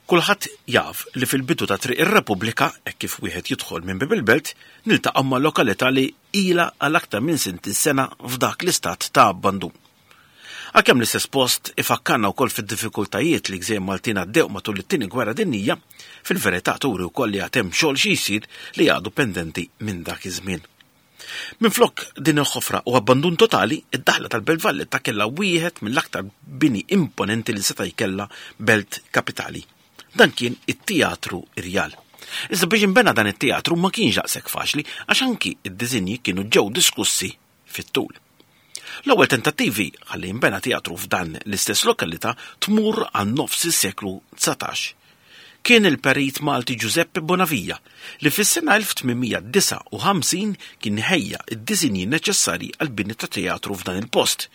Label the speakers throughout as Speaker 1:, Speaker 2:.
Speaker 1: Kulħadd jaf li fil-bidu ta' Triq ir-Repubblika, hekk kif wieħed jidħol minn Bieb il-Belt, niltaqgħu ma' lokalità li ilha għal aktar minn 60 sena f'dak l-istat ta' abbandun. Għalkemm l-istess post ifakkarna wkoll fid-diffikultajiet li gżejjer Maltin għaddew matul it-Tieni Gwerra Dinjija, fil-verità turi wkoll li għad hemm xogħol xi jsir li għadu pendenti minn dak iż-żmien. Minflok din il-ħofra u abbandun totali, id-daħla tal-Belt Valletta kellha wieħed mill-aktar bini imponenti li seta' jkellha belt kapitali. Dan kien it-Teatru Irjal. Iżda biex inbena dan it-teatru ma kienx daqshekk faċli għax anki id-diżinji kienu ġew diskussi fit-tul. L-ewwel tentattivi ħalli jinbena teatru f'dan l-istess lokalità tmur għal nofs is-seklu 19. Kien il-perit Malti Giuseppe Bonavia li fis-sena 1859 kien ħejja d-disinji neċessarji għall-bini ta' teatru f'dan il-post.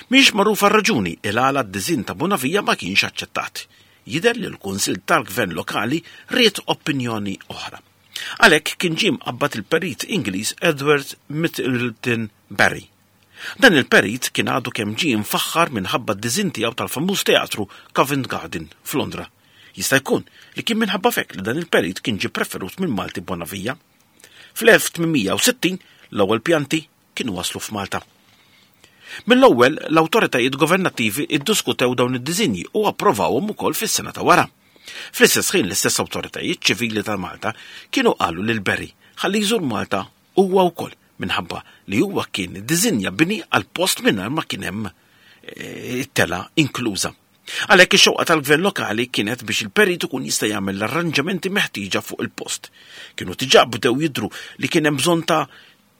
Speaker 1: Mhijiex magħrufa r-raġuni il għala d-diżinn ta' Bonavia ma kienx aċċettat. Jidher li l-Kunsill tal-Gvern Lokali ried opinjoni oħra. Għalhekk kien ġie mqabbad il-perit Ingliż Edward Middleton Barry. Dan il-perit kien għadu kemm ġie mfaħħar minħabba d-diżinn tiegħu tal-famuż teatru Covent Garden f'Londra. Jista' jkun li kien minħabba f'hekk li dan il-perit kien ġie preferut minn Malti Bonavia. Fl-1860 l-ewwel pjanti kienu waslu f'Malta. Mill-ewwel l-awtoritajiet governattivi iddiskutew dawn id-diżinji u approvawhom ukoll fis-sena ta' wara. Fl-istess ħin l-istess awtoritajiet ċivili ta' Malta kienu qalu lil Barry ħalli jżur Malta huwa wkoll minħabba li huwa kien iddiżinja bini għal post mingħajr ma kien hemm eh, it-tela inkluża. Għalhekk ix-xewqa tal-gvern lokali kienet biex il-perit ikun jista' jagħmel l-arranġamenti meħtieġa fuq il-post. Kienu diġà bdew jidhru li kien hemm bżonn ta'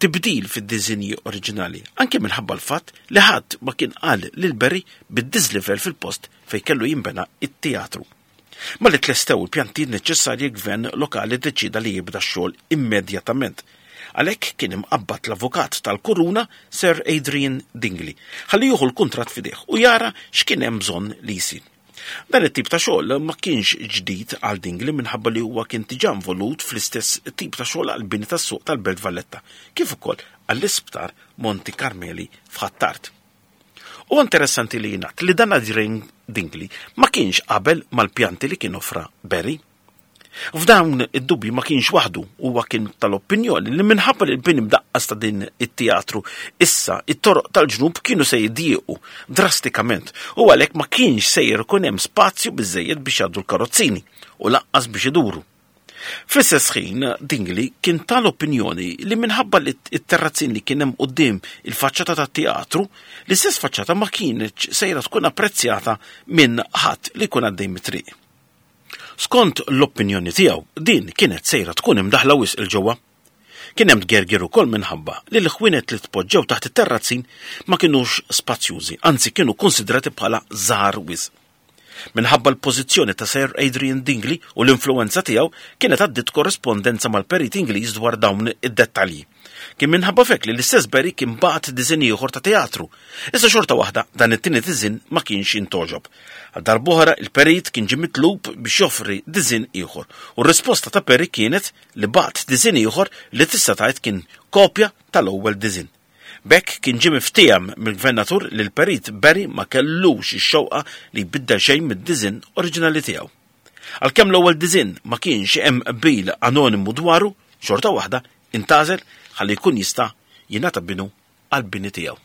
Speaker 1: tibdil fid-diżinji oriġinali, anke minħabba l-fatt li ħadd ma kien qal lil Barry bid-diżlivell fil-post fejn kellu jinbena it-teatru. Malli tlestew il-pjantijiet neċessarji l-gvern lokali ddeċieda li jibda x-xogħol immedjatament. Għalhekk kien imqabbad l-avukat tal-Kuruna Sir Adrian Dingley ħalli jieħu l-kuntratt f'idejh u jara x'kien hemm bżonn li jsir. Dan it-tip ta' xogħol ma kienx ġdid għal Dingley minħabba li huwa kien diġà involut fl-istess tip ta' xogħol għall-bini tas-suq tal-Belt Valletta kif ukoll għall-Isptar Monti Carmeli f'Ħ'Attard. Huwa interessanti li jingħad li dan Adrian Dingley ma kienx qabel mal-pjanti li kien offra Barry. F'dawn id-dubji ma kienx waħdu, huwa kien tal-opinjoni li minħabba li l-bini mdaqqas ta' din it-teatru issa it-toroq tal-ġnub kienu se jidjiequ drastikament u għalhekk ma kienx sejjer ikun hemm spazju biżejjed biex jgħaddu l-karozzini u lanqas biex iduru. Fl-istess ħin, Dingley kien tal-opinjoni li minħabba li t-terrazzin li kien hemm quddiem il-faċċata tat-teatru, l-istess faċċata ma kienx sejra tkun apprezzjata minn ħadd li jkun għaddej mit-triq. Skont l-opinjoni tiegħu, din kienet sejra tkun imdaħħla wisq 'il ġewwa. Kien hemm tgergir ukoll minħabba li l-ħwienet li tpoġġew taħt it-terrazzin ma kinux spazjużi, anzi kienu kunsidrati bħala żgħar wisq. Minħabba l-pożizzjoni ta' Sir Adrian Dingley u l-influwenza tiegħu kienet għaddiet korrispondenza mal-perit Ingliż dwar dawn id-dettalji. Kien minħabba f'hekk li l-istess Barry kien bagħat diżinn ieħor ta' teatru. Iżda xorta waħda dan it-tieni diżinn ma kienx jintgħoġob. Għal darb'oħra il-perit kien ġie mitlub biex joffri diżinn ieħor u r-risposta ta' Perry kienet li bagħat diżinn ieħor li tista' tgħid kien kopja tal-ewwel diżinn. B'hekk kien ġie miftiehem mill-Gvernatur li l-Perit Barry ma kellux ix-xewqa li jbiddel xejn mid-diżinn oriġinali tiegħu. Għalkemm l-ewwel diżinn ma kienx hemm qbil anonimu dwaru, xorta waħda intgħażel ħalli jkun jista' jingħata binu għall-bini tiegħu.